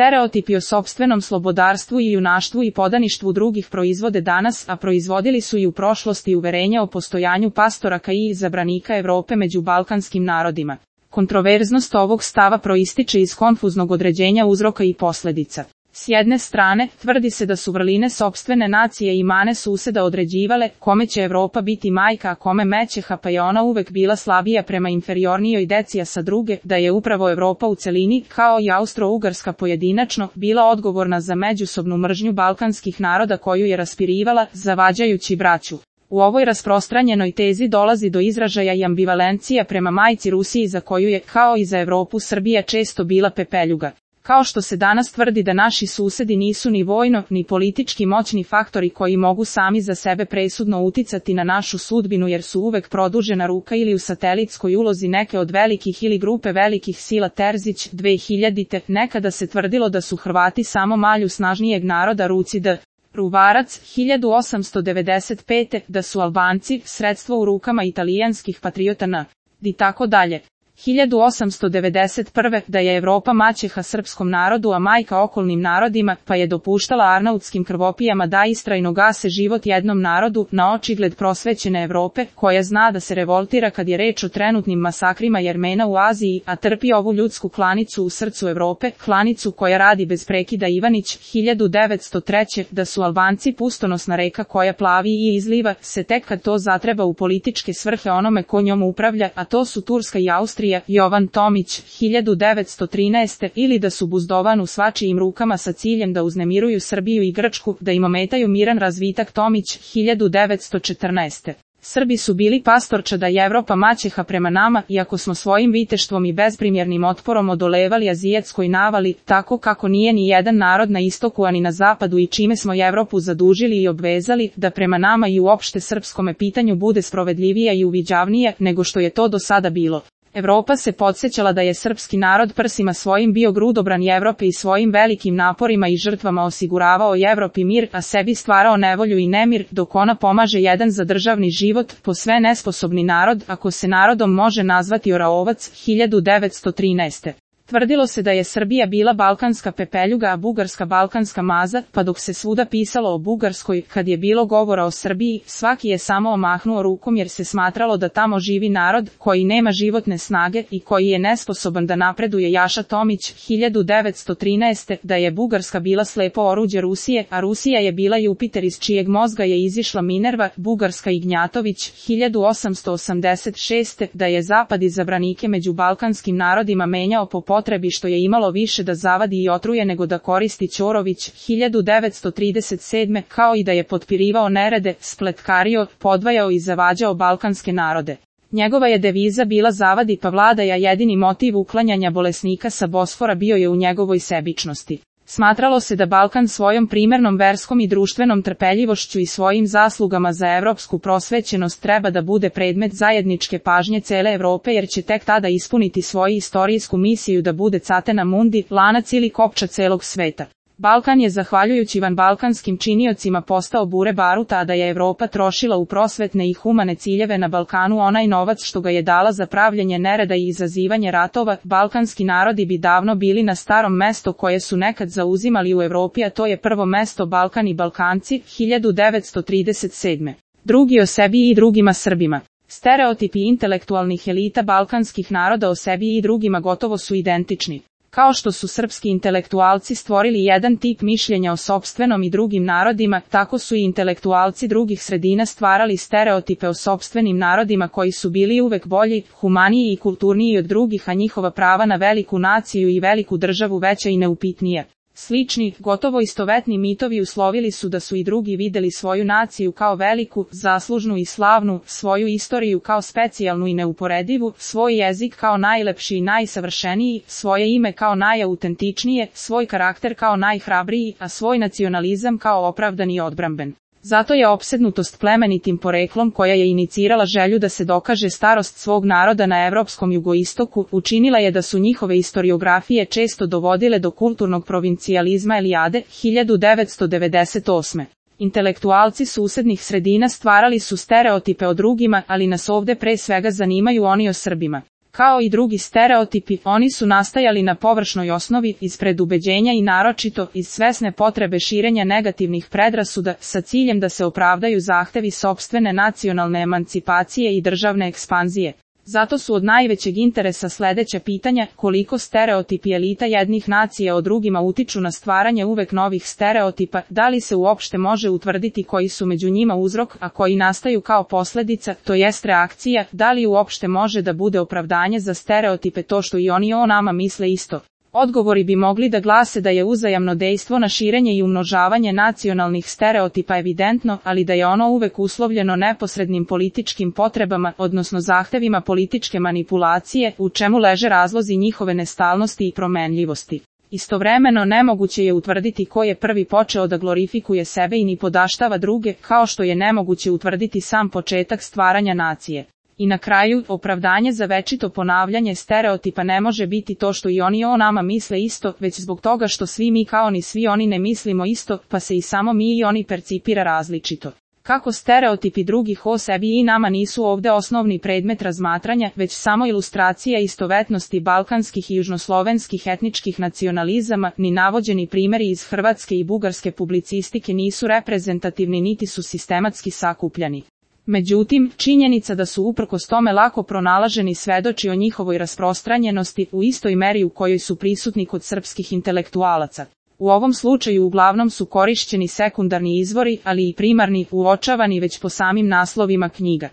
Stereotipi o sopstvenom slobodarstvu i junaštvu i podaništvu drugih proizvode danas, a proizvodili su i u prošlosti uverenja o postojanju pastoraka i izabranika Evrope među balkanskim narodima. Kontroverznost ovog stava proističe iz konfuznog određenja uzroka i posledica. S jedne strane, tvrdi se da su vrline sopstvene nacije i mane suseda određivale kome će Evropa biti majka, a kome mećeha, pa je ona uvek bila slabija prema inferiornijoj deci, a sa druge, da je upravo Evropa u celini, kao i Austro-Ugarska pojedinačno, bila odgovorna za međusobnu mržnju balkanskih naroda koju je raspirivala, zavađajući braću. U ovoj rasprostranjenoj tezi dolazi do izražaja i ambivalencija prema majci Rusiji, za koju je, kao i za Evropu, Srbija često bila pepeljuga. Kao što se danas tvrdi da naši susedi nisu ni vojno, ni politički moćni faktori koji mogu sami za sebe presudno uticati na našu sudbinu jer su uvek produžena ruka ili u satelitskoj ulozi neke od velikih ili grupe velikih sila. Terzić, 2000. Nekada se tvrdilo da su Hrvati samo malju snažnijeg naroda ruci d. Ruvarac, 1895. Da su Albanci sredstvo u rukama italijanskih patriota n. i tako dalje. 1891. Da je Evropa maćeha srpskom narodu, a majka okolnim narodima, pa je dopuštala arnautskim krvopijama da istrajno gase život jednom narodu, na očigled prosvećene Evrope, koja zna da se revoltira kad je reč o trenutnim masakrima Jermena u Aziji, a trpi ovu ljudsku klanicu u srcu Evrope, klanicu koja radi bez prekida. Ivanić, 1903. Da su Albanci pustonosna reka koja plavi i izliva se tek kad to zatreba u političke svrhe onome ko njom upravlja, a to su Turska i Austrija. Jovan Tomić, 1913. Ili da su buzdovan u svačijim rukama sa ciljem da uznemiruju Srbiju i Grčku, da im ometaju miran razvitak. Tomić, 1914. Srbi su bili pastorčada i Evropa maćeha prema nama, iako smo svojim viteštvom i bezprimjernim otporom odolevali azijatskoj navali, tako kako nije ni jedan narod na istoku ani na zapadu, i čime smo Evropu zadužili i obvezali da prema nama i uopšte srpskome pitanju bude sprovedljivija i uviđavnija nego što je to do sada bilo. Evropa se podsjećala da je srpski narod prsima svojim bio grudobran Evrope i svojim velikim naporima i žrtvama osiguravao Evropi mir, a sebi stvarao nevolju i nemir, dok ona pomaže jedan za državni život, posve nesposobni narod, ako se narodom može nazvati Oraovac, 1913. Tvrdilo se da je Srbija bila balkanska pepeljuga, a Bugarska balkanska maza, pa dok se svuda pisalo o Bugarskoj, kad je bilo govora o Srbiji, svaki je samo omahnuo rukom jer se smatralo da tamo živi narod koji nema životne snage i koji je nesposoban da napreduje. Jaša Tomić, 1913. Da je Bugarska bila slepo oruđe Rusije, a Rusija je bila Jupiter iz čijeg mozga je izišla Minerva. Bugarska. Ignjatović, 1886. Da je Zapad izabranike među balkanskim narodima menjao po potrebi što je imalo više da zavadi i otruje nego da koristi. Ćorović, 1937. Kao i da je potpirivao nerede, spletkario, podvajao i zavađao balkanske narode. Njegova je deviza bila zavadi pa vladaj, a jedini motiv uklanjanja bolesnika sa Bosfora bio je u njegovoj sebičnosti. Smatralo se da Balkan svojom primernom verskom i društvenom trpeljivošću i svojim zaslugama za evropsku prosvećenost treba da bude predmet zajedničke pažnje cele Evrope, jer će tek tada ispuniti svoju istorijsku misiju da bude catena mundi, lanac ili kopča celog sveta. Balkan je zahvaljujući vanbalkanskim činiocima postao bure baruta, a da je Evropa trošila u prosvetne i humane ciljeve na Balkanu onaj novac što ga je dala za pravljenje nereda i izazivanje ratova, balkanski narodi bi davno bili na starom mesto koje su nekad zauzimali u Evropi, a to je prvo mesto Balkan i Balkanci, 1937. Drugi o sebi i drugima Srbima. Stereotipi intelektualnih elita balkanskih naroda o sebi i drugima gotovo su identični. Kao što su srpski intelektualci stvorili jedan tip mišljenja o sopstvenom i drugim narodima, tako su i intelektualci drugih sredina stvarali stereotipe o sopstvenim narodima koji su bili uvek bolji, humaniji i kulturniji od drugih, a njihova prava na veliku naciju i veliku državu veća i neupitnija. Slični, gotovo istovetni mitovi uslovili su da su i drugi videli svoju naciju kao veliku, zaslužnu i slavnu, svoju istoriju kao specijalnu i neuporedivu, svoj jezik kao najlepši i najsavršeniji, svoje ime kao najautentičnije, svoj karakter kao najhrabriji, a svoj nacionalizam kao opravdan i odbramben. Zato je opsednutost plemenitim poreklom, koja je inicirala želju da se dokaže starost svog naroda na evropskom jugoistoku, učinila je da su njihove istoriografije često dovodile do kulturnog provincijalizma. Elijade, 1998. Intelektualci susednih sredina stvarali su stereotipe o drugima, ali nas ovde pre svega zanimaju oni o Srbima. Kao i drugi stereotipi, oni su nastajali na površnoj osnovi, iz predubeđenja i naročito iz svesne potrebe širenja negativnih predrasuda sa ciljem da se opravdaju zahtevi sopstvene nacionalne emancipacije i državne ekspanzije. Zato su od najvećeg interesa sledeća pitanja: koliko stereotipi elita jednih nacija o drugima utiču na stvaranje uvek novih stereotipa, da li se uopšte može utvrditi koji su među njima uzrok, a koji nastaju kao posledica, to jest reakcija, da li uopšte može da bude opravdanje za stereotipe to što i oni o nama misle isto. Odgovori bi mogli da glase da je uzajamno dejstvo na širenje i umnožavanje nacionalnih stereotipa evidentno, ali da je ono uvek uslovljeno neposrednim političkim potrebama, odnosno zahtevima političke manipulacije, u čemu leže razlozi njihove nestalnosti i promenljivosti. Istovremeno nemoguće je utvrditi ko je prvi počeo da glorifikuje sebe i ni podaštava druge, kao što je nemoguće utvrditi sam početak stvaranja nacije. I na kraju, opravdanje za večito ponavljanje stereotipa ne može biti to što i oni o nama misle isto, već zbog toga što svi mi kao ni svi oni ne mislimo isto, pa se i samo mi i oni percipira različito. Kako stereotipi drugih o sebi i nama nisu ovde osnovni predmet razmatranja, već samo ilustracija istovetnosti balkanskih i južnoslovenskih etničkih nacionalizama, ni navođeni primeri iz hrvatske i bugarske publicistike nisu reprezentativni niti su sistematski sakupljani. Međutim, činjenica da su uprkos tome lako pronalaženi svedoči o njihovoj rasprostranjenosti u istoj meri u kojoj su prisutni kod srpskih intelektualaca. U ovom slučaju uglavnom su korišćeni sekundarni izvori, ali i primarni, uočavani već po samim naslovima knjiga.